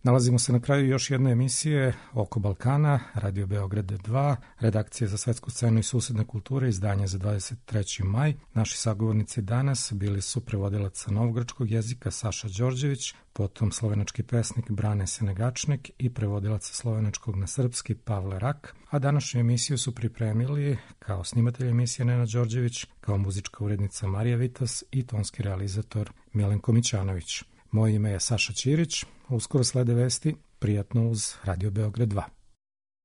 D: Nalazimo se na kraju još jedne emisije Oko Balkana, Radio Beograd 2, redakcije za svetsku scenu i susedne kulture, izdanje za 23. maj. Naši sagovornici danas bili su prevodilac sa novogrčkog jezika Saša Đorđević, potom slovenački pesnik Brane Senegačnik i prevodilac sa slovenačkog na srpski Pavle Rak, a današnju emisiju su pripremili kao snimatelj emisije Nenad Đorđević, kao muzička urednica Marija Vitas i tonski realizator Milenko Mićanović. Moje ime je Saša Ćirić, uskoro slede vesti, prijatno uz Radio Beograd 2.